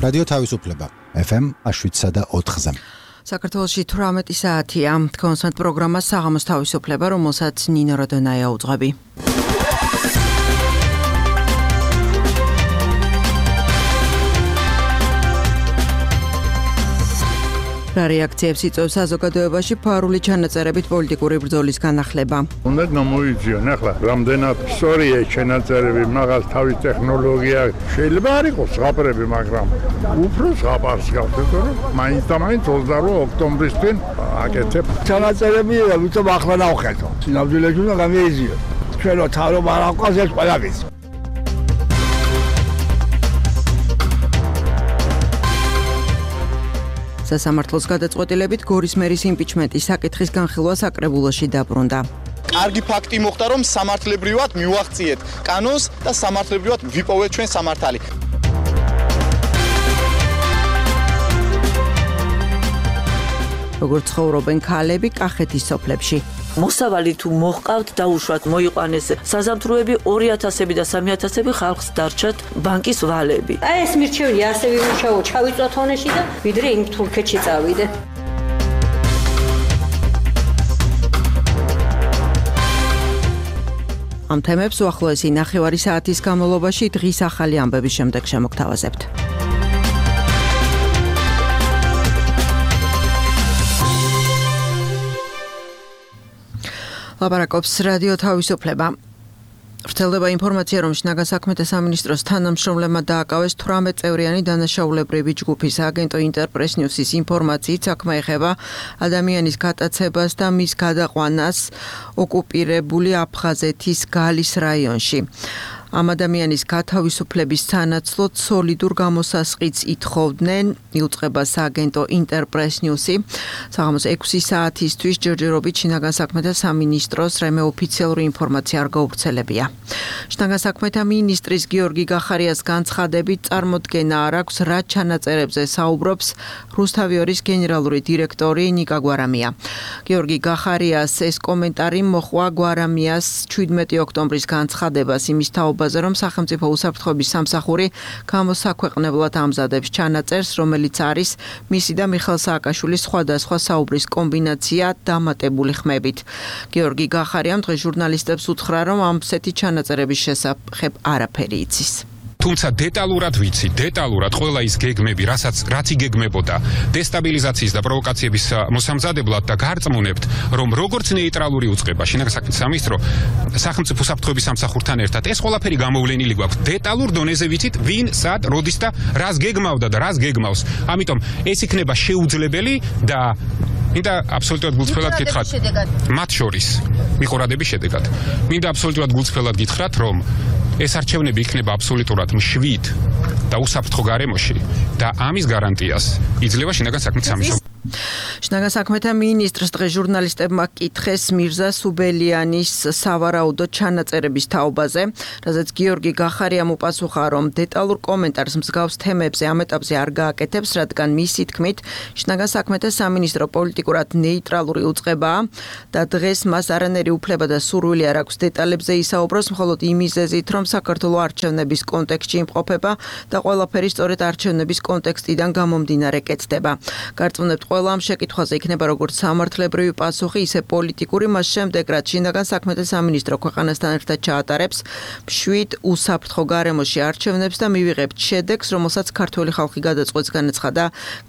რადიო თავისუფლება FM 7.4-ზე. საქართველოში 18 საათია. კონსერტ პროგრამა საღამოს თავისუფლება, რომელსაც ნინო როდონაია უძღვები. რა რეაქციებს იწვევს საზოგადოებაში ფარული ჩანაწერებით პოლიტიკური ბრძოლის განახლება. უნდა გამოიძიონ ახლა რამდენად სწორია ჩანაწერები, მაგას თავის ტექნოლოგია შეიძლება არ იყოს ზღაპრები, მაგრამ უფრო ზღაპარს გავხდეთ, რომ მაინც და მაინც 28 ოქტომბრისთვენ აკეთებ. ჩანაწერები ვიწევ ახლა ნავხედო. სინამდვილეში უნდა გამოიძიონ. ჩვენო თავრობა არ აყვას ეს ყველა ვიცი. სასამართლოს გადაწყვეტილებით გორის მერის იმპიჩმენტის საკითხის განხილვა საკრებულოში დაბრუნდა. კარგი ფაქტი მოხდა, რომ სამართლებრივად მივაღწიეთ კანონს და სამართლებრივად ვიპოვეთ ჩვენ სამართალი. როგორც ცხოვრობენ ქალები კახეთის სოფლებში. მოსავალი თუ მოჰყავთ დაუშვათ მოიყვანეს საზამთროები 2000-ები და 3000-ები ხალხს დარჩათ ბანკის ვალები. აი ეს მირჩეველი ასე ვიმუშაო, ჩავიწვათ ონეში და ვიდრე იმ თურქეთში წავიდე. ამ თემებს უახლოესი ნახევარი საათის განმავლობაში დღის ახალი ამბების შემდეგ შემოგთავაზებთ. ლაპარაკობს რადიო თავისუფლება. ვრცელდება ინფორმაცია, რომ შინაგან საქმეთა სამინისტროს თანამშრომლებმა დააკავეს 18 წევრიანი დანაშაულებრივი ჯგუფის აგენტო ინტერპრეს ნიუსის ინფორმაციით საქმე ეხება ადამიანის გატაცებას და მის გადაყვანას ოკუპირებული აფხაზეთის გალის რაიონში. ამ ადამიანის გათავისუფლების სანაცვლოდ სოლიდურ გამოსასყიდს ითხოვდნენ, იუწყება სააგენტო ინტერპრეს ნიუსი. საღამოს 6 საათისთვის ჯერჯერობით შინაგან საქმეთა სამინისტროს რემე ოფიციალური ინფორმაცია არ გავრცელებია. შინაგან საქმეთა მინისტრის გიორგი გახარიას განცხადებით წარმოდგენა არ აქვს, რა ჩანაწერებზე საუბრობს რუსთავიორის გენერალური დირექტორი ნიკა გვარამია. გიორგი გახარიას ეს კომენტარი მოჰყვა გვარამიას 17 ოქტომბრის განცხადებას იმის თაობაზე, რომ სახელმწიფო უსაფრთხოების სამსახური გამოსაქვეყნებლად ამზადებს ჩანაწერს, რომელიც არის მისი და მიხეილ სააკაშვილის სხვადასხვა საუბრის კომბინაცია დამატებული ხმებით. გიორგი გახარიამ დღეს ჟურნალისტებს უთხრა, რომ ამ სეთი ჩანაწერების შესახებ არაფერი იცის. თუმცა დეტალურად ვიცი, დეტალურად ყველა ის გეგმები, რაც იგეგმებოდა დესტაბილიზაციის და პროვოკაციების მოსამზადებლად და გარწმუნებთ, რომ როგორც ნეიტრალური უწყება შინაგან საქმეთა სამინისტრო სახელმწიფო უსაფრთხოების სამსახურთან ერთად ეს ყველაფერი გამოვლენილი გვაქვს. დეტალურ დონეზე ვიცით, ვინ, სად, როდის და რას გეგმავდა და რას გეგმავს. ამიტომ ეს იქნება შეუძლებელი და მინდა აბსოლუტურად გულწრფელად გითხრათ, მათ შორის მიყურადების შედეგად. მინდა აბსოლუტურად გულწრფელად გითხრათ, რომ ეს არჩევნები იქნება აბსოლუტურად მშვიდ და უსაფრთხო გარემოში და ამის გარანტიას იძლევა შინაგან საქმეთა სამინისტრო. შინაგან საქმეთა მინისტრს დღეს ჟურნალისტებმა კითხეს მირზა სუბელიანის სავარაუდო ჩანაწერების თაობაზე, რაზეც გიორგი გახარიამ უპასუხა, რომ დეტალურ კომენტარს მსგავს თემებზე ამ ეტაპზე არ გააკეთებს, რადგან მისი თქმით შინაგან საქმეთა სამინისტრო პოლიტიკურად ნეიტრალური უწყებაა და დღეს მას არანაირი უფლება და სურვილი არ აქვს დეტალებზე ისაუბროს, მხოლოდ იმ მიზეზით, რომ საქართველოს არჩევნების კონტექსტში იმყოფება და ყველაფერი სწორედ არჩევნების კონტექსტიდან გამომდინარე კეთდება. გარწმუნებთ, ყველა ამ შეკითხვაზე იქნება როგორც სამართლებრივი პასუხი, ისე პოლიტიკური, მას შემდეგ, რაც შინაგან საქმეთა სამინისტრო ქვეყანასთან ერთად ჩაატარებს მშვიდ უსაფრთხო გარემოში არჩევნებს და მივიღებთ შედეგს, რომელსაც ქართველი ხალხი გადაწყვეტს, განაცხადა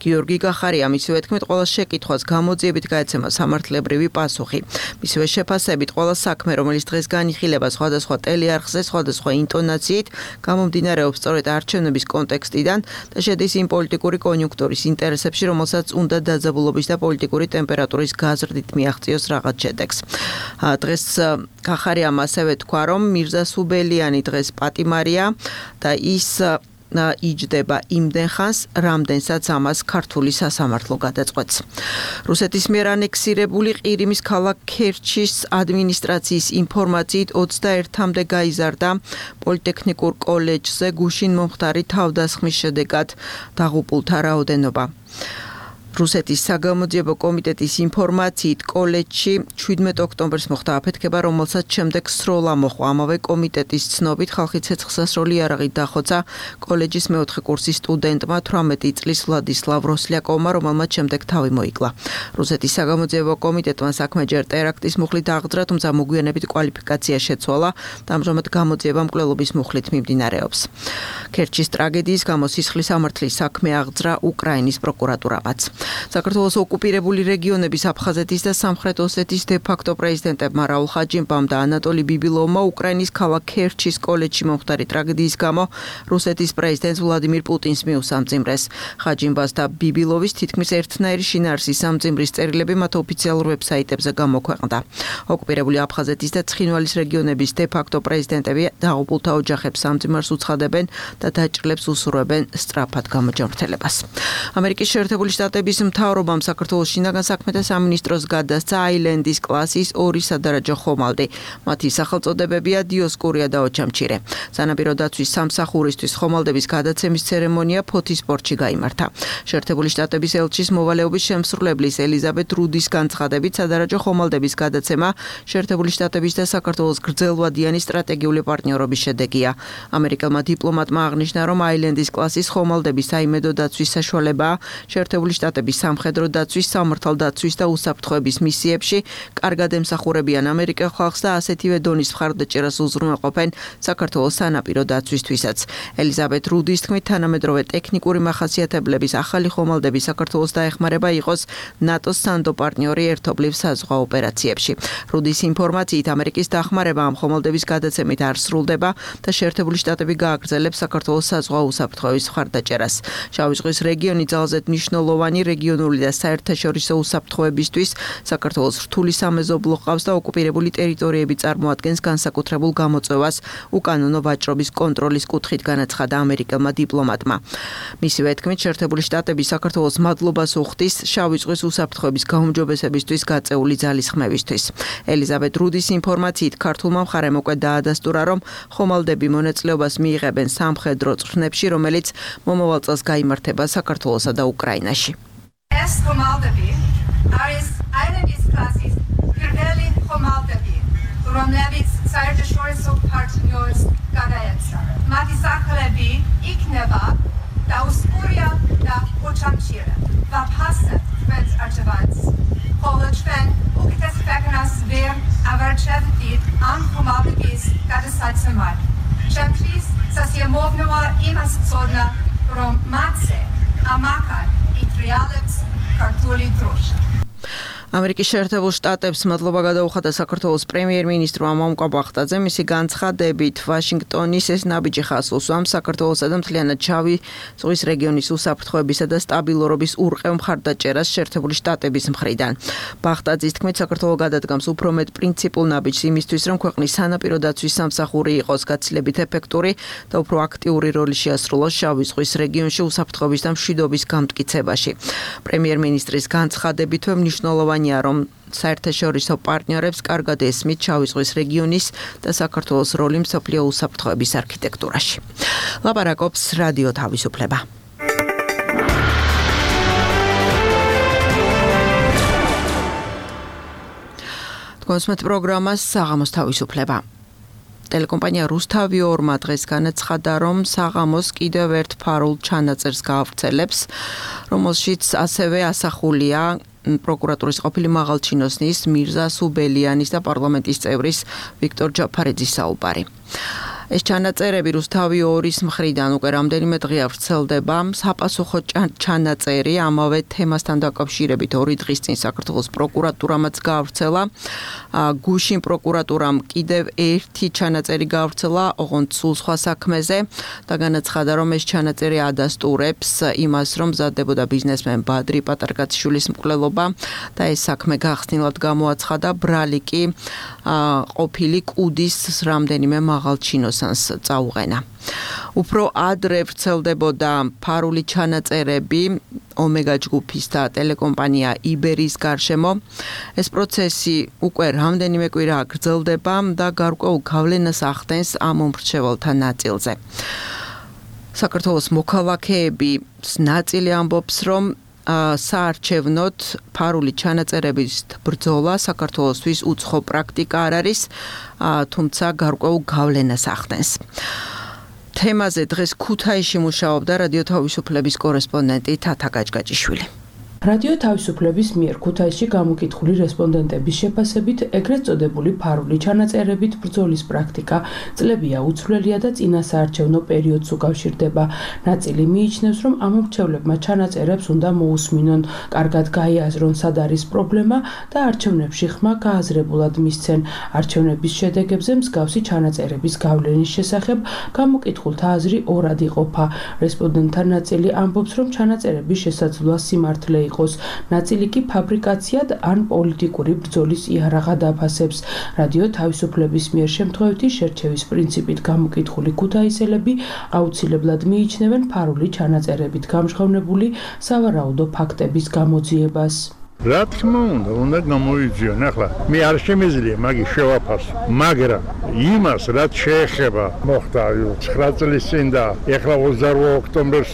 გიორგი გახარიამ. მისივე თქმით, ყველა შეკითხვას გამოძიებით გაეცემა სამართლებრივი პასუხი. მისივე შეფასებით, ყველა საქმე, რომელიც დღეს განიხილება სხვადასხვა ტელეარხზე, სხვადასხვა ინტონაციით, გამომდინარეობს სწორედ არჩევნების კონტექსტიდან და შედის იმ პოლიტიკური კონიუნქტურის ინტერესებში, რომელსაც უნდა დაძაბულობის და პოლიტიკური ტემპერატურის გაზრდით მიაღწიოს რაღაც შედეგს. დღეს გახარიამ ასევე თქვა, რომ მირზა სუბელიანი დღეს პატიმარია და ის იჯდება იმდენ ხანს, რამდენსაც ამას ქართული სასამართლო გადაწყვეტს. რუსეთის მიერ ანექსირებული ყირიმის ქალაქ ქერჩის ადმინისტრაციის ინფორმაციით 21-მდე გაიზარდა პოლიტექნიკურ კოლეჯზე გუშინ მომხდარი თავდასხმის შედეგად დაღუპულთა რაოდენობა. რუსეთის საგამოძიებო კომიტეტის ინფორმაციით კოლეჯში 17 ოქტომბერს მოხდა აფეთქება, რომელსაც შემდეგ სროლა მოჰყვა. ამავე კომიტეტის ცნობით ხალხი ცეცხლსასროლი იარაღით დახოცა კოლეჯის მეოთხე კურსის სტუდენტმა 18 წლის ვლადისლავ როსლιακოვმა, რომელმაც შემდეგ თავი მოიკლა. რუსეთის საგამოძიებო კომიტეტმა საქმე ჯერ ტერაქტის მუხლით აღძრა, თუმცა მოგვიანებით კვალიფიკაცია შეცვალა და ამჟამად გამოძიება მკვლელობის მუხლით მიმდინარეობს. ქერჩის ტრაგედიის გამო სისხლის სამართლის საქმე აღძრა უკრაინის პროკურატურამაც. საქართველოს ოკუპირებული რეგიონების აფხაზეთის და სამხრეთ ოსეთის დე-ფაქტო პრეზიდენტებმა რაულ ხაჯიმბამ და ანატოლი ბიბილოვმა უკრაინის ქალაქ ქერჩის კოლეჯში მომხდარი ტრაგედიის გამო რუსეთის პრეზიდენტს ვლადიმირ პუტინს მიუსამძიმრეს. ხაჯიმბას და ბიბილოვის თითქმის ერთნაირი შინაარსის სამძიმრის წერილები მათ ოფიციალურ ვებსაიტებზე გამოქვეყნდა. ოკუპირებული აფხაზეთის და ცხინვალის რეგიონების დე-ფაქტო პრეზიდენტები დაღუპულთა ოჯახებს სამძიმარს უცხადებენ და დაჭრილებს უსურვებენ სწრაფად გამოჯანმრთელებას. ამერიკის შეერთებული შტატების მთავრობამ საქართველოს შინაგან საქმეთა სამინისტროს გადასცა აილენდის კლასის 2 სადარაჯო ხომალდი. მათი სახელწოდებებია დიოსკურია და ოჩამჩირე. სანაპირო დაცვის სამსახურისთვის ხომალდების გადაცემის ცერემონია ფოთის პორტში გაიმართა. შეერთებული შტატების ელჩის მოვალეობის შემსრულებლის ელიზაბეთ რუდის განცხადებით სადარაჯო ხომალდების გადაცემა შეერთებული შტატების და საქართველოს გრძელვადიანი სტრატეგიული პარტნიორობის შედეგია. ამერიკელმა დიპლომატმა აღნიშნა, რომ აილენდის კლასის ხომალდების საიმედო დაცვის საშუალებაა შეერთებული შტატების სამხედრო დაცვის, სამართალდაცვის და უსაფრთხოების მისიებში კარგად ემსახურებიან ამერიკელ ხალხს და ასეთივე დონის მხარდაჭერას უზრუნველყოფენ საქართველოს სანაპირო დაცვისთვისაც. ელიზაბეთ რუდის თქმით, თანამედროვე ტექნიკური მახასიათებლების ახალი ხომალდები საქართველოს დაეხმარება იყოს ნატოს სანდო პარტნიორი ერთობლივ საზღვაო ოპერაციებში. რუდის ინფორმაციით, ამერიკის დახმარება ამ ხომალდების გადაცემით არ სრულდება და შეერთებული შტატები გააგრძელებს საქართველოს საზღვაო უსაფრთხოების მხარდაჭერას. შავი ზღვის რეგიონი ძალზედ მნიშვნელოვანი რეგიონული და საერთაშორისო უსაფრთხოებისთვის საქართველოს რთული სამეზობლო ყავს და ოკუპირებული ტერიტორიები წარმოადგენს განსაკუთრებულ გამოწვევას უკანონო ვაჭრობის კონტროლის კუთხით, განაცხადა ამერიკელმა დიპლომატმა. მისივე თქმით, შეერთებული შტატები საქართველოს მადლობას უხდის შავი ზღვის უსაფრთხოების გაუმჯობესებისთვის გაწეული ძალისხმევისთვის. ელიზაბეთ რუდის ინფორმაციით, ქართულმა მხარემ უკვე დაადასტურა, რომ ხომალდები მონაწილეობას მიიღებენ სამხედრო წვრთნებში, რომელიც მომავალ წელს გაიმართება საქართველოსა და უკრაინაში. ეს ხომალდები არის აილენდის კლასის პირველი ხომალდები, რომლებიც საერთაშორისო პარტნიორს გადაეცა. მათი სახელები იქნება დიოსკურია და ოჩამჩირე. ვაფასებ თქვენს არჩევანს. ხოლო ჩვენ უკეთეს ქვეყნას ვერ ავარჩევდით ამ ხომალდების გადასაცემად. ჩემთვის სასიამოვნოა იმას ვცოდნა, რომ მათზე ამაყად იტრიალებს ქართული დროშა. ამერიკის შეერთებულ შტატებს მადლობა გადაუხადა საქართველოს პრემიერ-მინისტრმა მომკა ბახტაძე. მისი განცხადებით, ვაშინგტონის ეს ნაბიჯი ხაზს უსვამს საქართველოსა და მთლიანად შავი ზღვის რეგიონის უსაფრთხოებისა და სტაბილურობის ურყევ მხარდაჭერას შეერთებული შტატების მხრიდან. ბახტაძის თქმით, საქართველო გადადგამს უფრო მეტ პრინციპულ ნაბიჯს იმისთვის, რომ ქვეყნის სანაპირო დაცვის სამსახური იყოს გაცილებით ეფექტური და უფრო აქტიური როლი შეასრულოს შავი ზღვის რეგიონში უსაფრთხოების და მშვიდობის გამტკიცებაში. პრემიერ-მინისტრის განცხადებითვე მნიშვნელოვანი რომ საერთაშორისო პარტნიორებს კარგად ესმით შავი ზღვის რეგიონის და საქართველოს როლი მსოფლიო უსაფრთხოების არქიტექტურაში. ლაპარაკობს რადიო თავისუფლება. თქვენს პროგრამას საღამოს თავისუფლება. ტელეკომპანია რუსთავი-2 დღეს განაცხადა, რომ საღამოს კიდევ ერთ ფარულ ჩანაწერს გაავრცელებს, რომელშიც ასევე ასახულია პროკურატურის ყოფილი მაღალჩინოსნის მირზა სუბელიანის და პარლამენტის წევრის ვიქტორ ჯაფარეძის საუბარი. ეს ჩანაწერები რუსთავი-2-ის მხრიდან უკვე რამდენიმე დღეა ვრცელდება. საპასუხო ჩანაწერი ამავე თემასთან დაკავშირებით 2 დღის წინ საქართველოს პროკურატურამაც გაავრცელა. გუშინ პროკურატურამ კიდევ ერთი ჩანაწერი გაავრცელა ოღონდ სულ სხვა საქმეზე და განაცხადა, რომ ეს ჩანაწერი ადასტურებს იმას, რომ მზადდებოდა ბიზნესმენ ბადრი პატარკაციშვილის მკვლელობა და ეს საქმე გახსნილად გამოაცხადა. ბრალი კი ყოფილი კუდის რამდენიმე მაღალჩინოსანს წაუყენა. უფრო ადრე ვრცელდებოდა ფარული ჩანაწერები ომეგა ჯგუფის და ტელეკომპანია იბერის გარშემო. ეს პროცესი უკვე რამდენიმე კვირა გრძელდება და გარკვეულ გავლენას ახდენს ამ მომრჩეველთა ნაწილზე. საქართველოს მოქალაქეების ნაწილი ამბობს, რომ საარჩევნოდ ფარული ჩანაწერების ბრძოლა საქართველოსთვის უცხო პრაქტიკა არ არის, თუმცა გარკვეულ გავლენას ახდენს. თემაზე დღეს ქუთაისში მუშაობდა რადიო თავისუფლების კორესპონდენტი თათა გაჭგაჭიშვილი. რადიო თავისუფლების მიერ ქუთაისში გამოკითხული რესპონდენტების შეფასებით ეგრეთ წოდებული ფარული ჩანაწერებით ბრძოლის პრაქტიკა წლებია უცვლელია და წინასაარჩევნო პერიოდს უკავშირდება. ნაწილი მიიჩნევს, რომ ამომრჩევლებმა ჩანაწერებს უნდა მოусმინონ, კარგად გაიაზრონ სად არის პრობლემა და არჩევნებში ხმა გააზრებულად მისცენ. არჩევნების შედეგებზე მსგავსი ჩანაწერების გავლენის შესახებ გამოკითხულთა აზრი ორად იყოფა. რესპონდენტთა ნაწილი ამბობს, რომ ჩანაწერების შესაძლოა სიმართლე ნაწილი კი ფაბრიკაციად ან პოლიტიკური ბრძოლის იარაღად აფასებს. რადიო თავისუფლების მიერ შემთხვევითი შერჩევის პრინციპით გამოკითხული ქუთაისელები აუცილებლად მიიჩნევენ ფარული ჩანაწერებით გამჟღავნებული სავარაუდო ფაქტების გამოძიებას. რა თქმა უნდა გამოიძიონ. ახლა მე არ შემიძლია მაგის შევაფასო, მაგრამ იმას რაც შეეხება მოხდა 9 წლის წინ და ეხლა 28 ოქტომბერს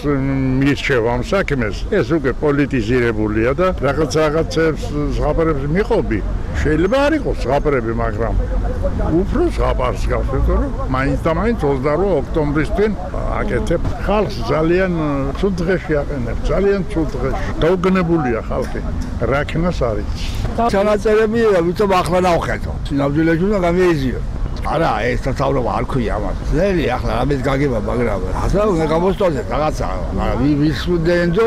მირჩევა ამ საქმეს, ეს უკვე პოლიტიზირებულია და რაღაცებს ზღაპრებს მიყობი. შეიძლება არ იყოს ზღაპრები, მაგრამ უფრო ზღაპარს გავხსენო, რომ მაინც 28 ოქტომბრისთვენ აკეთებ. ხალხს ძალიან ცუდ დღეში აყენებს, ძალიან ცუდ დღეში. დაუგნებულია ხალხი. რაკნას არის. ჩანაწერები ვიწებ ახლა ნავხედო. სინამდვილეში უნდა გამიეზიო. არა, ეს თავრობა არ ქვია ამას. ძელი ახლა რამის გაგება, მაგრამ ახლა უნდა გამოსტოზე რაღაცა. ვის უდენძო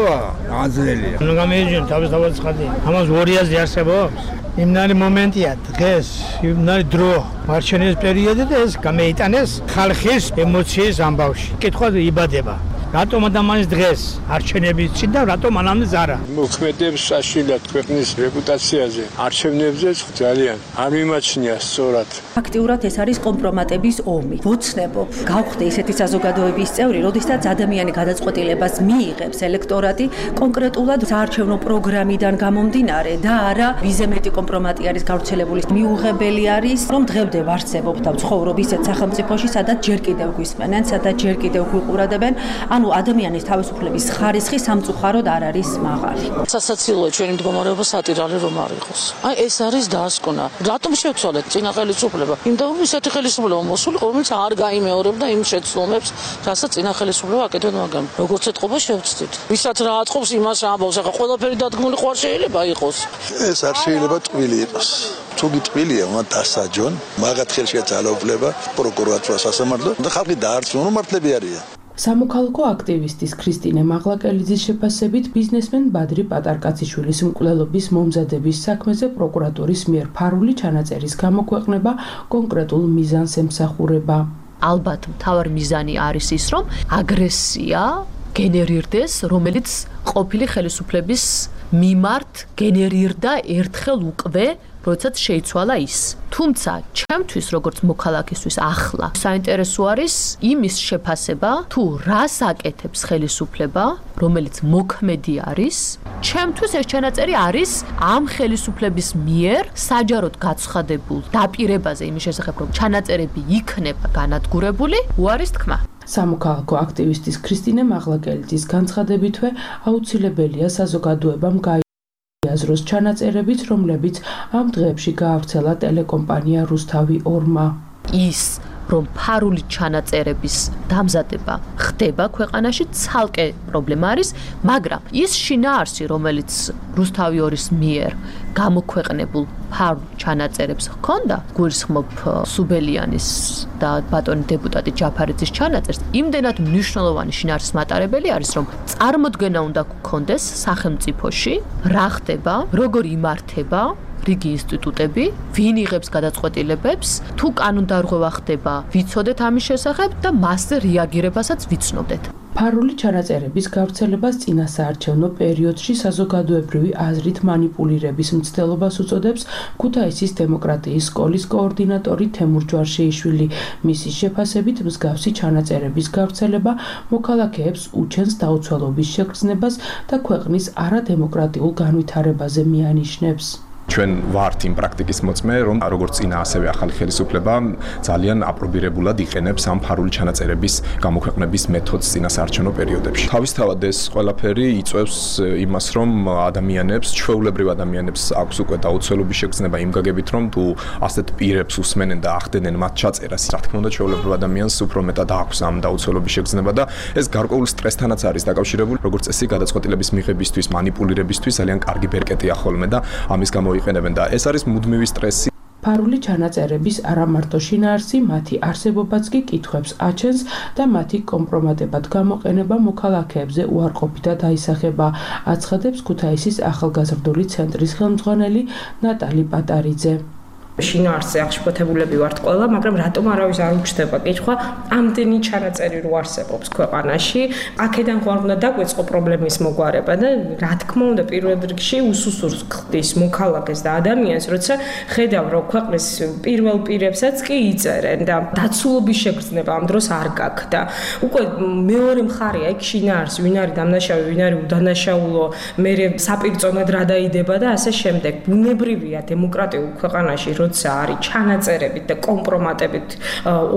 აძლელია. უნდა გამიეზიონ თავის ხალხი. ამას 200 არსებობს. იმნარი მომენტია დღეს, იმნარი დრო, მარჩენის პერიოდი და ეს გამეიტანეს ხალხის ემოციის ამბავში. კითხვა იბადება. რატომ ადამიანის დღეს არჩევნების წინ და რატომ მანამდე ზარა? მოქმედებს საშინლად ქვეყნის რეპუტაციაზე. არჩევნებზე ძალიან არ მიმაჩნია სწორად. ფაქტიურად ეს არის კომპრომატების ომი. ვოცნებობ, გავხდე ისეთი საზოგადოების წევრი, როდესაც ადამიანი გადაწყვეტილებას მიიღებს ელექტორატი კონკრეტულად საარჩევნო პროგრამიდან გამომდინარე და არა ვიზემეტი კომპრომატი არის გავრცელებული. მიუღებელი არის, რომ დღემდე ვარსებობ და ვცხოვრობ ისეთ სახელმწიფოში, სადაც ჯერ კიდევ გვისმენენ, სადაც ჯერ კიდევ გვიყურადებენ. ანუ ადამიანის თავისუფლების ხარისხი სამწუხაროდ არ არის მაღალი. სასაცილოა ჩვენი მდგომარეობა სატირალი რომ არ იყოს. აი ეს არის დასკვნა. რატომ შევცვალეთ წინა ხელისუფლება? იმიტომ რომ ისეთი ხელისუფლება მოსული, რომელიც არ გაიმეორებდა იმ შეცდომებს, რასაც წინა ხელისუფლება აკეთებდა, მაგრამ როგორც ეთყობა შევცდით. ვისაც რა აწყობს იმას ამბავს, ახლა ყველაფერი დადგმული ხوار შეიძლება იყოს. ეს არ შეიძლება ტვილი იყოს. თუ გიტყვილია, უნდა დასაჯონ, მაგათ ხელშია ძალაუფლება, პროკურატურა სასამართლო და ხალხი დაარწმუნონ, რომ მართლები არიან. სამოქალაქო აქტივისტის ქრისტინე მაღლაკელიძის შეფასებით ბიზნესმენ ბადრი პატარკაციშვილის მკვლელობის მომზადების საქმეზე პროკურატურის მიერ ფარული ჩანაწერის გამოქვეყნება კონკრეტულ მიზანს ემსახურება. ალბათ მთავარი მიზანი არის ის, რომ აგრესია გენერირდეს, რომელიც ყოფილი ხელისუფლების მიმართ გენერირდა ერთხელ უკვე როდესაც შეიცვალა ის. თუმცა, ჩემთვის როგორც მოქალაქისთვის ახლა საინტერესო არის იმის შეფასება, თუ რას აკეთებს ხელისუფლება, რომელიც მოქმედი არის. ჩემთვის ეს ჩანაწერი არის ამ ხელისუფლების მიერ საჯაროდ გაცხადებულ დაპირებაზე იმის შესახებ, რომ ჩანაწერები იქნება განადგურებული, უარის თქმა. სამოქალაქო აქტივისტის ქრისტინე მაღლაკელიძის განცხადებითვე აუცილებელია საზოგადოებამ აზროს ჩანაწერებით, რომლებიც ამ დღეებში გაავრცელა ტელეკომპანია რუსთავი 2-მა. ის რომ ფარული ჩანაწერების დამზადება ხდება ქვეყანაში ცალკე პრობლემა არის, მაგრამ ის შინაარსი, რომელიც რუსთავი 2-ის მიერ გამოქვეყნებულ ფარულ ჩანაწერებს ჰქონდა, გულისხმობ სუბელიანის და ბატონი დეპუტატი ჯაფარიძის ჩანაწერს, იმდენად მნიშვნელოვანი შინაარსის მატარებელი არის, რომ წარმოდგენა უნდა გქონდეს სახელმწიფოში, რა ხდება, როგორ იმართება რიგი ინსტიტუტები, ვინ იღებს გადაწყვეტილებებს, თუ კანონდარღვევა ხდება, ვიცოდეთ ამის შესახებ და მასზე რეაგირებასაც ვიცნობდეთ. ფარული ჩანაწერების გავრცელებას წინასაარჩევნო პერიოდში საზოგადოებრივი აზრით მანიპულირების მცდელობას უწოდებს ქუთაისის დემოკრატიის სკოლის კოორდინატორი თემურ ჯვარშეიშვილი. მისი შეფასებით მსგავსი ჩანაწერების გავრცელება მოქალაქეებს უჩენს დაუცველობის შეგრძნებას და ქვეყნის არადემოკრატიულ განვითარებაზე მიანიშნებს. ჩვენ ვართ იმ პრაქტიკის მოწმე, რომ როგორც წინა ასევე ახალი ხელისუფლება ძალიან აპრობირებულად იყენებს ამ ფარული ჩანაწერების გამოქვეყნების მეთოდს წინასაარჩევნო პერიოდებში. თავისთავად ეს ყველაფერი იწვევს იმას, რომ ადამიანებს, ჩვეულებრივ ადამიანებს აქვს უკვე დაუცველობის შეგრძნება იმ გაგებით, რომ თუ ასეთ პირებს უსმენენ და ახდენენ მათ ჩაწერას, რა თქმა უნდა, ჩვეულებრივ ადამიანს უფრო მეტად აქვს ამ დაუცველობის შეგრძნება და ეს გარკვეულ სტრესთანაც არის დაკავშირებული, როგორც წესი გადაწყვეტილების მიღებისთვის, манипуლირებისთვის ძალიან კარგი ბერკეტია ხოლმე და ამის გამო იყენებენ და ეს არის მუდმივი სტრესი. ფარული ჩანაწერების არა მარტო შინაარსი, მათი არსებობაც კი კითხვებს აჩენს და მათი კომპრომატებად გამოყენება მოქალაქეებზე უარყოფითად აისახება, აცხადებს ქუთაისის ახალგაზრდული ცენტრის ხელმძღვანელი ნატალი პატარიძე. შინაარსზე აღშფოთებულები ვართ ყველა, მაგრამ რატომ არავის არ უჩნდება კითხვა, ამდენი ჩანაწერი რო არსებობს ქვეყანაში, აქედან ხარ უნდა დაგვეწყო პრობლემის მოგვარება და რა თქმა უნდა პირველ რიგში უსუსურს ხდის მოქალაქეს და ადამიანს, როცა ხედავ რომ ქვეყნის პირველ პირებსაც კი იწერენ და დაცულობის შეგრძნება ამ დროს არ გაქვს და უკვე მეორე მხარეა იქ შინაარსი, ვინ არის დამნაშავე, ვინ არის უდანაშაულო, მერე საპირწონად რა დაიდება და ასე შემდეგ. ბუნებრივია დემოკრატიულ ქვეყანაში როცა არის ჩანაწერებით და კომპრომატებით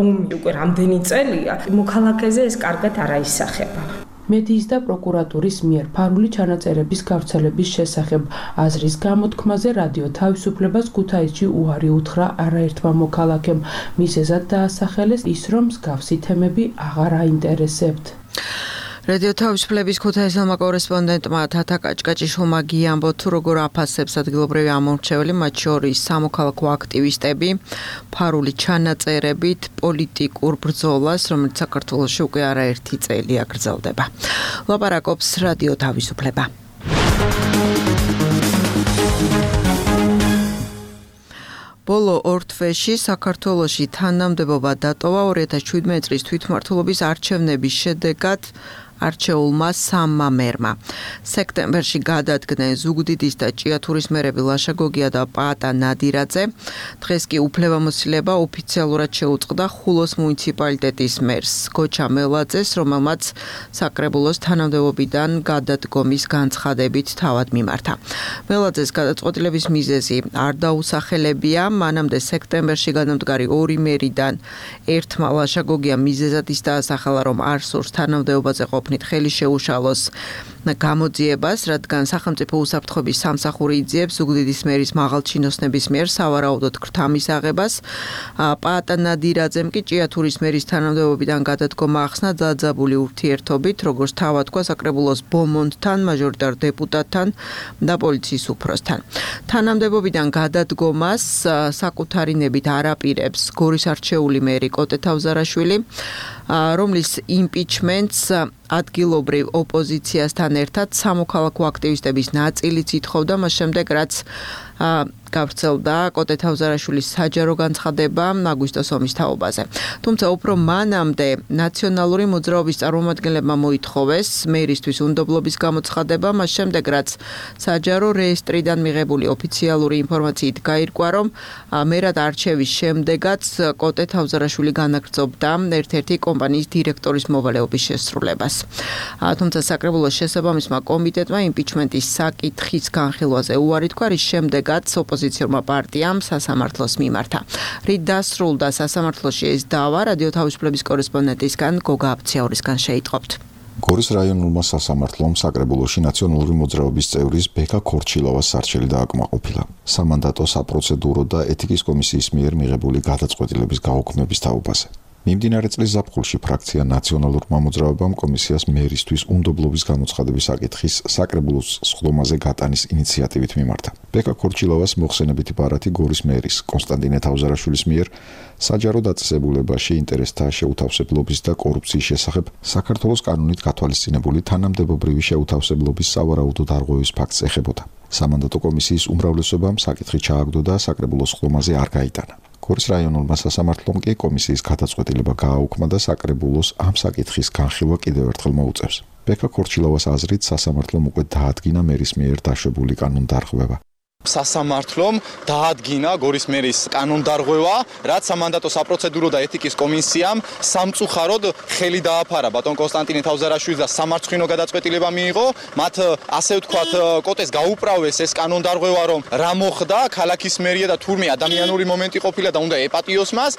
ომი უკვე რამდენი წელია, მოქალაქეზე ეს კარგად არ აისახება. მედიის და პროკურატურის მიერ ფარული ჩანაწერების გავრცელების შესახებ აზრის გამოთქმაზე რადიო თავისუფლებას ქუთაისში უარი უთხრა არაერთმა მოქალაქემ. მიზეზად დაასახელეს ის, რომ მსგავსი თემები აღარ აინტერესებთ. რადიო თავისუფლების ქუთაისელმა კორესპონდენტმა თათა კაჭკაჭიშვილმა გიამბო თუ როგორ აფასებს ადგილობრივი ამორჩეველი, მათ შორის სამოქალაქო აქტივისტები ფარული ჩანაწერებით პოლიტიკურ ბრძოლას, რომელიც საქართველოში უკვე არაერთი წელია გრძელდება. ლაპარაკობს რადიო თავისუფლება. ბოლო ორ თვეში საქართველოში თანამდებობა დატოვა 2017 წლის თვითმმართველობის არჩევნების შედეგად არჩეულმა სამმა მერმა. სექტემბერში გადადგნენ ზუგდიდის და ჭიათურის მერები ლაშა გოგია და პაატა ნადირაძე. დღეს კი უფლებამოსილება ოფიციალურად შეუწყდა ხულოს მუნიციპალიტეტის მერს გოჩა მელაძეს, რომელმაც საკრებულოს თანამდებობიდან გადადგომის განცხადებით თავად მიმართა. მელაძეს გადაწყვეტილების მიზეზი არ დაუსახელებია, მანამდე სექტემბერში განამდგარი ორი მერიდან ერთმა ლაშა გოგია მიზეზად ის დაასახელა, რომ არ სურს თანამდებობაზე ხელი შეუშალოს გამოძიებას, რადგან სახელმწიფო უსაფრთხოების სამსახური იძიებს ზუგდიდის მერის მაღალჩინოსნების მიერ სავარაუდოდ ქრთამის აღებას. პაატა ნადირაძემ კი ჭიათურის მერის თანამდებობიდან გადადგომა ახსნა დაძაბული ურთიერთობით, როგორც თავად თქვა საკრებულოს ბომონდთან, მაჟორიტარ დეპუტატთან და პოლიციის უფროსთან. თანამდებობიდან გადადგომას საკუთარი ნებით არ აპირებს გორის არჩეული მერი კოტე თავზარაშვილი, რომლის იმპიჩმენტს ადგილობრივ ოპოზიციასთან ერთად სამოქალაქო აქტივისტების ნაწილიც ითხოვდა, მას შემდეგ რაც გავრცელდა კოტე თავზარაშვილის საჯარო განცხადება აგვისტოს ომის თაობაზე. თუმცა უფრო მანამდე ნაციონალური მოძრაობის წარმომადგენლებმა მოითხოვეს მერისთვის უნდობლობის გამოცხადება, მას შემდეგ რაც საჯარო რეესტრიდან მიღებული ოფიციალური ინფორმაციით გაირკვა, რომ მერად არჩევის შემდეგაც კოტე თავზარაშვილი განაგრძობდა ერთ-ერთი კომპანიის დირექტორის მოვალეობის შესრულებას. თუმცა საკრებულოს შესაბამისმა კომიტეტმა იმპიჩმენტის საკითხის განხილვაზე უარი თქვა, რის შემდეგაც ოპოზიციურმა პარტიამ სასამართლოს მიმართა. რით დასრულდა სასამართლოში ეს დავა, რადიო თავისუფლების კორესპონდენტისგან გოგა აფციაურისგან შეიტყობთ. გორის რაიონულმა სასამართლომ საკრებულოში ნაციონალური მოძრაობის წევრის ბექა ქორჩილოვას სარჩელი დააკმაყოფილა. სამანდატო საპროცედურო და ეთიკის კომისიის მიერ მიღებული გადაწყვეტილების გაუქმების თაობაზე. მიმდინარე წლის ზაფხულში ფრაქცია ნაციონალურმა მოძრაობამ კომისიას მერისთვის უნდობლობის გამოცხადების საკითხის საკრებულოს სხდომაზე გატანის ინიციატივით მიმართა. ბექა ქორჩილოვას მოხსენებითი ბარათი გორის მერის კონსტანტინე თავზარაშვილის მიერ საჯარო დაწესებულებაში ინტერესთა შეუთავსებლობის და კორუფციის შესახებ საქართველოს კანონით გათვალისწინებული თანამდებობრივი შეუთავსებლობის სავარაუდო დარღვევის ფაქტს ეხებოდა. სამანდატო კომისიის უმრავლესობამ საკითხი ჩააგდო და საკრებულოს სხდომაზე არ გაიტანა. გორის რაიონულმა სასამართლომ კი კომისიის გადაწყვეტილება გააუქმა და საკრებულოს ამ საკითხის განხილვა კიდევ ერთხელ მოუწევს. ბექა ქორჩილოვას აზრით სასამართლომ უკვე დაადგინა მერის მიერ დაშვებული კანონდარღვევა. სასამართლომ დაადგინა გორის მერის კანონდარღვევა, რაც სამანდატო საპროცედურო და ეთიკის კომისიამ სამწუხაროდ ხელი დააფარა ბატონ კონსტანტინე თავზარაშვილს და სამარცხვინო გადაწყვეტილება მიიღო. მათ ასე ვთქვათ, კოტეს გაუპრავეს ეს კანონდარღვევა, რომ რა მოხდა, ქალაქის მერია და თურმე ადამიანური მომენტი ყოფილა და უნდა ეპატიოს მას.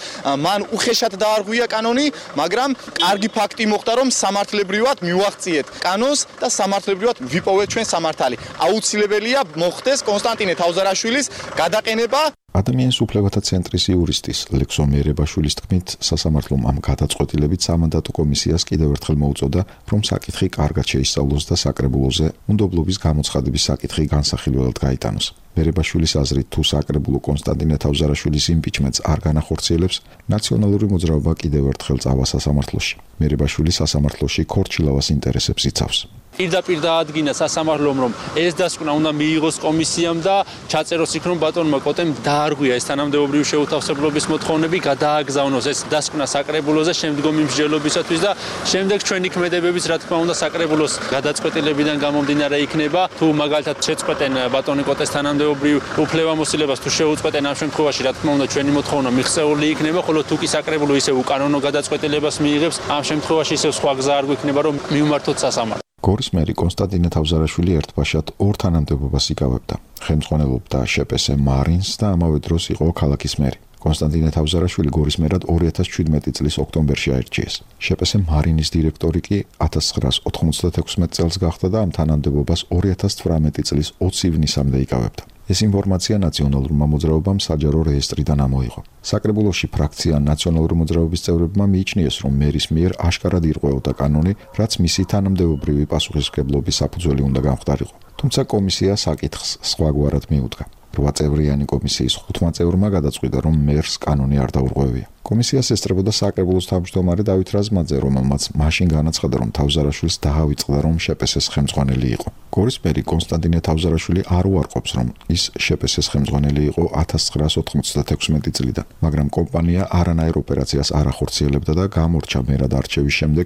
მან უხეშად დაარღვია კანონი, მაგრამ კარგი ფაქტი მოხდა, რომ სამართლებრივად მივაღწიეთ კანონს და სამართლებრივად ვიპოვეთ ჩვენ სამართალი. აუცილებელია მოხდეს კონსტანტინე თავზარაშვილის გადაყენება. ადამიანის უფლებათა ცენტრის იურისტის ლექსონ მიერებაშვილის თქმით, სასამართლომ ამ გადაწყვეტილებით სამანდატო კომისიას კიდევ ერთხელ მოუწოდა, რომ საკითხი კარგად შეისწავლოს და საკრებულოზე უნდობლობის გამოცხადების საკითხი განსახილველად გაიტანოს. მიერებაშვილის აზრით, თუ საკრებულო კონსტანტინე თავზარაშვილის იმპიჩმენტს არ განახორციელებს, ნაციონალური მოძრაობა კიდევ ერთხელ წავა სასამართლოში. მიერებაშვილი სასამართლოში ქორჩილავას ინტერესებს იცავს. პირდაპირ დაადგინა სასამართლომ, რომ ეს დასკვნა უნდა მიიღოს კომისიამ და ჩაწეროს იქ, რომ ბატონმა კოტემ დაარღვია ეს თანამდებობრივი შეუთავსებლობის მოთხოვნები, გადააგზავნოს ეს დასკვნა საკრებულოზე შემდგომი მსჯელობისათვის და შემდეგ ჩვენი ქმედებებიც, რა თქმა უნდა, საკრებულოს გადაწყვეტილებიდან გამომდინარე იქნება. თუ მაგალითად შეწყვეტენ ბატონი კოტეს თანამდებობრივ უფლებამოსილებას, თუ შეუწყვეტენ, ამ შემთხვევაში, რა თქმა უნდა, ჩვენი მოთხოვნა მიღწეული იქნება, ხოლო თუ კი საკრებულო ისევ უკანონო გადაწყვეტილებას მიიღებს, ამ შემთხვევაში ისევ სხვა გზა არ გვექნება, რომ მივმართოთ სასამართლოს. გორის მერი კონსტანტინე თავზარაშვილი ერთბაშად ორ თანამდებობას იკავებდა. ხელმძღვანელობდა შპს მარინს და ამავე დროს იყო ქალაქის მერი. კონსტანტინე თავზარაშვილი გორის მერად 2017 წლის ოქტომბერში აირჩიეს. შპს მარინის დირექტორი კი 1996 წელს გახდა და ამ თანამდებობას 2018 წლის 20 ივნისამდე იკავებდა. ეს ინფორმაცია ნაციონალურმა მოძრაობამ საჯარო რეესტრიდან ამოიღო. საკრებულოში ფრაქცია ნაციონალური მოძრაობის წევრებმა მიიჩნიეს, რომ მერის მიერ აშკარად ირღვეოდა კანონი, რაც მისი თანამდებობრივი პასუხისმგებლობის საფუძველი უნდა გამხდარიყო. თუმცა კომისია საკითხს სხვაგვარად მიუდგა. 8 წევრიანი კომისიის 5 წევრმა გადაწყვიტა, რომ მერს კანონი არ დაურღვევია. კომისიას ესწრებოდა საკრებულოს თავმჯდომარე დავით რაზმაძე, რომელმაც მაშინ განაცხადა, რომ თავზარაშვილს დაავიწყდა, რომ შპს-ის ხელმძღვანელი იყო. გორის მერი კონსტანტინე თავზარაშვილი არ უარყოფს, რომ ის შპს-ის ხელმძღვანელი იყო 1996 წლიდან, მაგრამ კომპანია არანაირ ოპერაციას არ ახორციელებდა და გამორჩა მერად არჩევის შემდეგ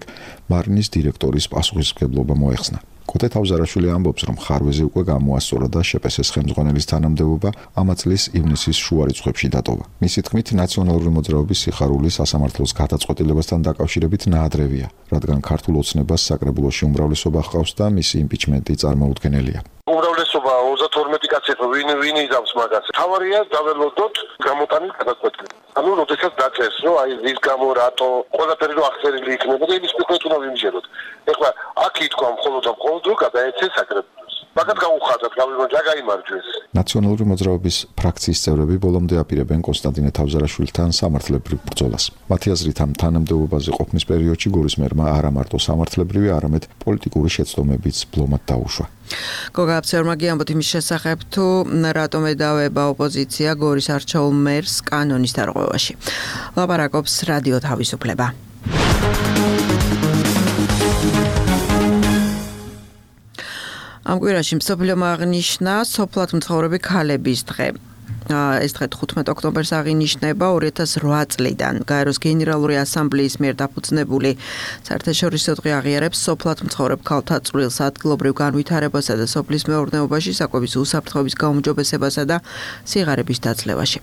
მარინის დირექტორის პასუხისმგებლობა მოეხსნა. კოტე თავზარაშვილი ამბობს, რომ ხარვეზე უკვე გამოასწორა და შპს-ის ხელმძღვანელის თანამდებობა ამ წლის ივნისის შუა რიცხვებში დატოვა. მისი თქმით, ნაციონალური მოძრაობის სიხარული სასამართლოს გადაწყვეტილებასთან დაკავშირებით ნაადრევია, რადგან ქართულ ოცნებას საკრებულოში უმრავლესობა ჰყავს და მისი იმპიჩმენტი წარმოუდგენელია. უმრავლესობა 32 კაცი ვინ იზამს მაგას. თავარია დაველოდოთ გამოტანილ გადაწყვეტილებას. ანუ როდესაც დაწერს, რომ აი ის გამო რატო ყველაფერი რო აღწერილი იქნება და იმის მიხედვით უნდა ვიმჯეროთ. ეხლა აქ ითქვა მხოლოდ რო გადაეცეს საკრებულოს. მაგათ გაუხადათ, გავიმარჯვა, გაიმარჯვეს. ნაციონალური მოძრაობის ფრაქციის წევრები ბოლომდე აპირებენ კონსტანტინე თავზარაშვილთან სამართლებრივ ბრძოლას. მათი აზრით, ამ თანამდებობაზე ყოფნის პერიოდში გორის მერმა არა მარტო სამართლებრივი, არამედ პოლიტიკური შეცდომებიც ბლომად დაუშვა. გოგა აფცერმა გიამბოთ იმის შესახებ, თუ რატომ ედავება ოპოზიცია გორის არჩეულ მერს კანონის დარღვევაში. ლაპარაკობს რადიო თავისუფლება. ამ კვირაში მსოფლიომ აღნიშნა სოფლად მცხოვრები ქალების დღე. ეს დღე 15 ოქტომბერს აღინიშნება 2008 წლიდან. გაეროს გენერალური ასამბლეის მიერ დაფუძნებული საერთაშორისო დღე აღიარებს სოფლად მცხოვრებ ქალთა წვრილს, ადგილობრივ განვითარებასა და სოფლის მეურნეობაში, საკვების უსაფრთხოების გაუმჯობესებასა და სიღარიბის დაცლევაში.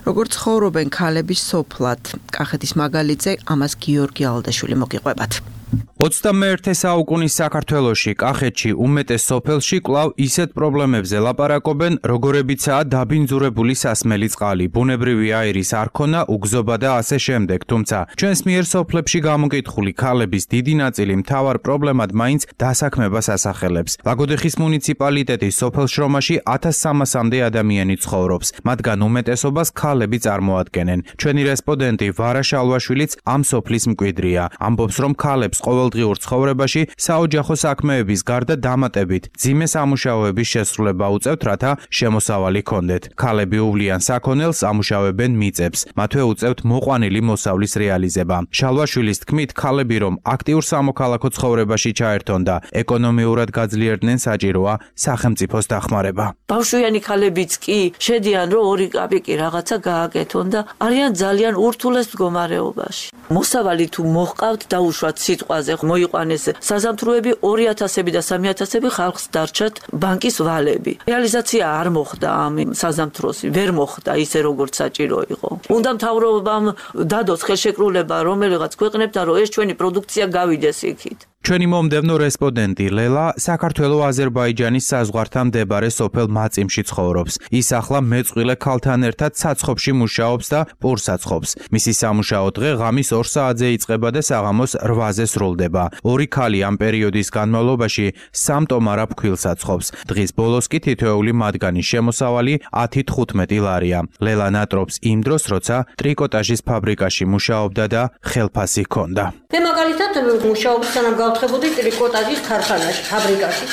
როგორ ცხოვრობენ ქალები სოფლად? კახეთის მაგალითზე ამას გიორგი ალდაშვილი მოგიყვებათ. 21 საუკუნის საქართველოში, კახეთში, უმეტეს სოფელში კვლავ ისეთ პრობლემებზე ლაპარაკობენ, როგორებიცაა დაბინძურებული სასმელი წყალი, ბუნებრივი აირის არქონა, უგზობა და ასე შემდეგ. თუმცა, ჩვენს მიერ სოფლებში გამოკითხული ქალების დიდი ნაწილი მთავარ პრობლემად მაინც დასაქმებას ასახელებს. ლაგოდეხის მუნიციპალიტეტის სოფელ შრომაში 1300-მდე ადამიანი ცხოვრობს, მათგან უმეტესობას ქალები წარმოადგენენ. ჩვენი რესპონდენტი ვარა შალვაშვილიც ამ სოფლის მკვიდრია. ამბობს, რომ ქალებს ყოველდღიურ ცხოვრებაში საოჯახო საქმეების გარდა დამატებით ძიმე სამუშაოების შესრულება უწევთ, რათა შემოსავალი ჰქონდეთ. ქალები უვლიან საქონელს, ამუშავებენ მიწებს. მათვე უწევთ მოყვანილი მოსავლის რეალიზება. შალვაშვილის თქმით, ქალები რომ აქტიურ სამოქალაქო ცხოვრებაში ჩაერთონ და ეკონომიურად გაძლიერდნენ, საჭიროა სახელმწიფოს დახმარება. ბავშვიანი ქალებიც კი შედიან, რომ 2 კაპიკი რაღაცა გააკეთონ და არიან ძალიან ურთულეს მდგომარეობაში. მოსავალი თუ მოჰყავთ, დაუშვათ სიტყვა ზღვაზე მოიყვანეს საზამთროები 2000-ები და 3000-ები ხალხს დარჩათ ბანკის ვალები. რეალიზაცია არ მოხდა ამ საზამთროს, ვერ მოხდა ისე როგორც საჭირო იყო. უნდა მთავრობამ დადოს ხელშეკრულება რომელიღაც ქვეყნებთან, რომ ეს ჩვენი პროდუქცია გავიდეს იქით. ჩვენი მომდევნო რესპონდენტი ლელა საქართველო-აზერბაიჯანის საზღვართან მდებარე სოფელ მაწიმში ცხოვრობს. ის ახლა მეწყვილე ქალთან ერთად საცხობში მუშაობს და პურს აცხობს. მისი სამუშაო დღე ღამის 2 საათზე იწყება და საღამოს 8-ზე სრულდება. ორი ქალი ამ პერიოდის განმავლობაში 3 ტომარა ფქვილს აცხობს. დღის ბოლოს კი თითოეული მათგანის შემოსავალი 10-15 ლარია. ლელა ნატრობს იმ დროს, როცა ტრიკოტაჟის ფაბრიკაში მუშაობდა და ხელფასი ჰქონდა. მე მაგალითად მუშაობ სანამ გავთხებოდი ტრიკოტაჟის ქარხანაში, ფაბრიკაში.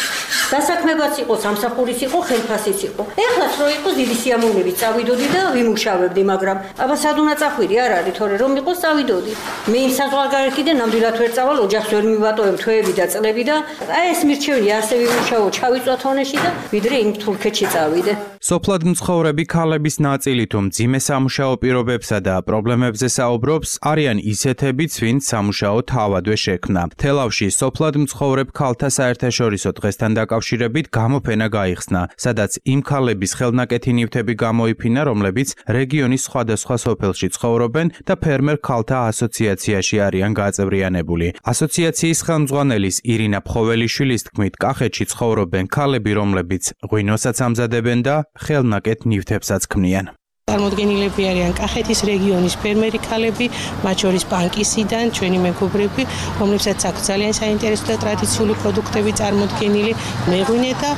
დასაქმებაც იყო, სამსახურის იყო, ხელფასიც იყო. ეხლაც რო იყო დიდი სიამოვნებით წავიდოდი და ვიმუშავებდი, მაგრამ აბა სად უნდა წახვირი არ არის, თორე რომ იყოს წავიდოდი. მე იმ საზღვარგარეთიდან ნამდვილად ვერ წავალ, ოჯახს ვერ მივატოვებ თვეები და წლები და აი ეს მირჩევია ასე ვიმუშაო, ჩავიწვა თონეში და ვიდრე იმ თურქეთში წავიდე. სოფლად მცხოვრები ქალების ნაწილი თუ მძიმე სამუშაო პირობებსა და პრობლემებზე საუბრობს, არიან ისეთებიც, ვინც სამუშაო თავადვე შექმნა. თელავში სოფლად მცხოვრებ ქალთა საერთაშორისო დღესთან დაკავშირებით გამოფენა გაიხსნა, სადაც იმ ქალების ხელნაკეთი ნივთები გამოიფინა, რომლებიც რეგიონის სხვადასხვა სოფელში ცხოვრობენ და ფერმერ ქალთა ასოციაციაში არიან გაწევრიანებული. ასოციაციის ხელმძღვანელის ირინა ფხოველიშვილის თქმით, კახეთში ცხოვრობენ ქალები, რომლებიც ღვინოსაც ამზადებენ და ხელნაკეთ ნივთებსაც ქმნიან. წარმოდგენილები არიან კახეთის რეგიონის ფერმერი ქალები, მათ შორის ბანკისიდან, ჩვენი მეგობრები, რომლებსაც აქვს ძალიან საინტერესო და ტრადიციული პროდუქტები წარმოდგენილი, მეღვინე და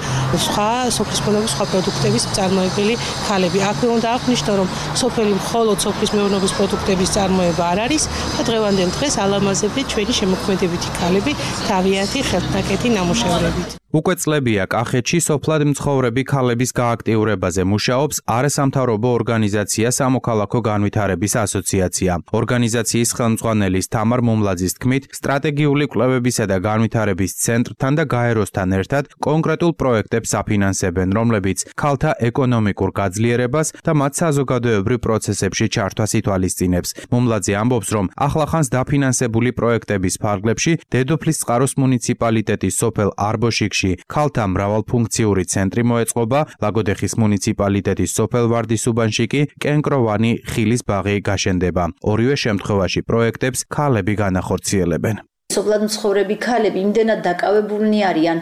სხვა სოფლის მეურნეობის სხვა პროდუქტების მწარმოებელი ქალები. აქვე უნდა აღვნიშნო, რომ სოფელი მხოლოდ სოფლის მეურნეობის პროდუქტების წარმოება არ არის და დღევანდელ დღეს ალამაზები ჩვენი შემოქმედებითი ქალები თავიანთი ხელნაკეთი ნამუშევრებით. უკვე წლებია კახეთში სოფლად მცხოვრები ქალების გააქტიურებაზე მუშაობს არასამთავრობო ორგანიზაცია სამოქალაქო განვითარების ასოციაცია. ორგანიზაციის ხელმძღვანელის თამარ მომლაძის თქმით, სტრატეგიული კვლევებისა და განვითარების ცენტრთან და გაეროსთან ერთად კონკრეტულ პროექტებს აფინანსებენ, რომლებიც ქალთა ეკონომიკურ გაძლიერებას და მათ საზოგადოებრივ პროცესებში ჩართვას ითვალისწინებს. მომლაძე ამბობს, რომ ახლახანს დაფინანსებული პროექტების ფარგლებში დედოფლისწყაროს მუნიციპალიტეტის სოფელ არბოშიკში ქალთა მრავალფუნქციური ცენტრი მოეწყობა, ლაგოდეხის მუნიციპალიტეტის სოფელ ვარდისუბანში კი კენკროვანი ხილის ბაღი გაშენდება. ორივე შემთხვევაში პროექტებს ქალები განახორციელებენ. სოფლად მცხოვრები ქალები იმდენად დაკავებულნი არიან,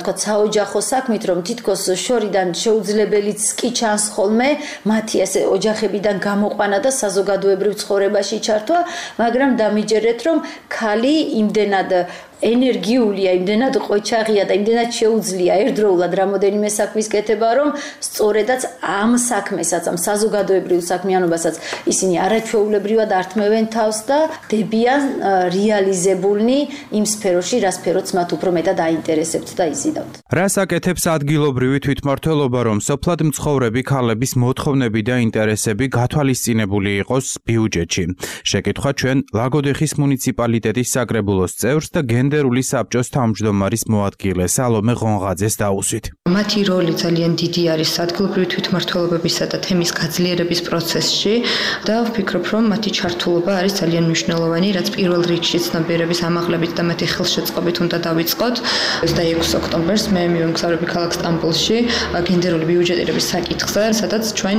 თქვა საოჯახო საქმით, რომ თითქოს შორიდან შეუძლებელიც კი ჩანს ხოლმე მათი ასე ოჯახებიდან გამოყვანა და საზოგადოებრივ ცხოვრებაში ჩართვა, მაგრამ დამიჯერეთ, რომ ქალი იმდენად ენერგიულია, იმდენად ყოჩაღია და იმდენად შეუძლია ერთდროულად რამოდენიმე საქმის კეთება, რომ სწორედაც ამ საქმესაც, ამ საზოგადოებრივ საქმიანობასაც ისინი არაჩვეულებრივად ართმევენ თავს და დებიან რეალიზებულნი იმ სფეროში, რა სფეროც მათ უფრო მეტად აინტერესებთ და იზიდავთ. რას აკეთებს ადგილობრივი თვითმმართველობა, რომ სოფლად მცხოვრები ქალების მოთხოვნები და ინტერესები გათვალისწინებული იყოს ბიუჯეტში? შეკითხვა ჩვენ ლაგოდეხის მუნიციპალიტეტის საკრებულოს წევრს და გენდერული საბჭოს თავმჯდომარის მოადგილე სალომე ღონღაძეს დაუსვით. მათი როლი ძალიან დიდი არის ადგილობრივი თვითმმართველობებისა და თემის გაძლიერების პროცესში და ვფიქრობ, რომ მათი ჩართულობა არის ძალიან მნიშვნელოვანი, რაც პირველ რიგში ცნობიერების ამაღლებით და მათი ხელშეწყობით უნდა დავიწყოთ. 26 ოქტომბერს მე მივემგზავრები ქალაქ სტამბოლში გენდერული ბიუჯეტირების საკითხზე, სადაც ჩვენ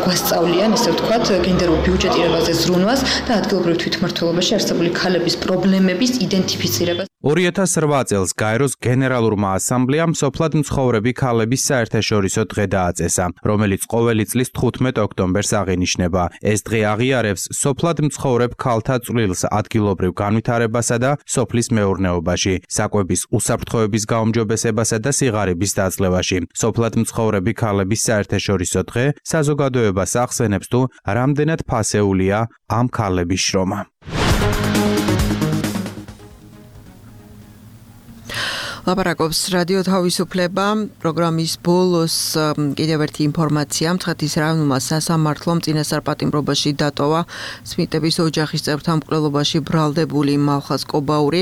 გვასწავლიან, ესე ვთქვათ, გენდერულ ბიუჯეტირებაზე ზრუნვას და ადგილობრივ თვითმმართველობაში არსებული ქალების პრობლემების იდენტიფიცირებას. 2008 წელს გაეროს გენერალურმა ასამბლეამ სოფლად მცხოვრები ქალების საერთაშორისო დღე დააწესა, რომელიც ყოველი წლის 15 ოქტომბერს აღინიშნება. ეს დღე აღიარებს სოფლად მცხოვრებ ქალთა წვლილს ადგილობრივ განვითარებასა და სოფლის მეურნეობაში, საკვების უსაფრთხოების გაუმჯობესებასა და სიღარიბის დაწლევაში. სოფლად მცხოვრები ქალების საერთაშორისო დღე საზოგადოებას ახსენებს თუ რამდენად ფასეულია ამ ქალების შრომა. ლაპარაკობს რადიო თავისუფლება პროგრამის ბოლოს კიდევ ერთი ინფორმაცია მცხეთის რაიონულმა სასამართლომ წინასწარ პატიმრობაში დატოვა სმიტების ოჯახის წევრთა მკვლელობაში ბრალდებული მალხაზ კობაური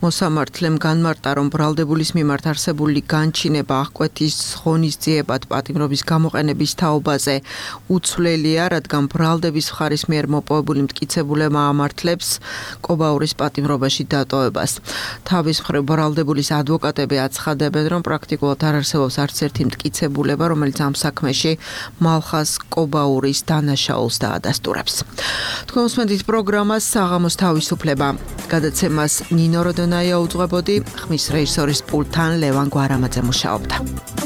მოსამართლემ განმარტა რომ ბრალდებულის მიმართ არსებული განჩინება აღკვეთის ღონისძიებად პატიმრობის გამოყენების თაობაზე უცვლელია რადგან ბრალდების მხარის მიერ მოპოვებული მტკიცებულება ამართლებს კობაურის პატიმრობაში დატოვებას თავის მხრივ ბრალდებულის ადვოკატები აცხადებენ, რომ პრაქტიკულად არ არსებობს არც ერთი მტკიცებულება, რომელიც ამ საქმეში მალხაზ კობაურის დანაშაულს დაადასტურებს. თქვენ უსმენთ პროგრამას საღამოს თავისუფლება. გადაცემას ნინო როდონაია უძღვებოდი, ხმის რეჟისორის პულტთან ლევან გვარამაძე მუშაობდა.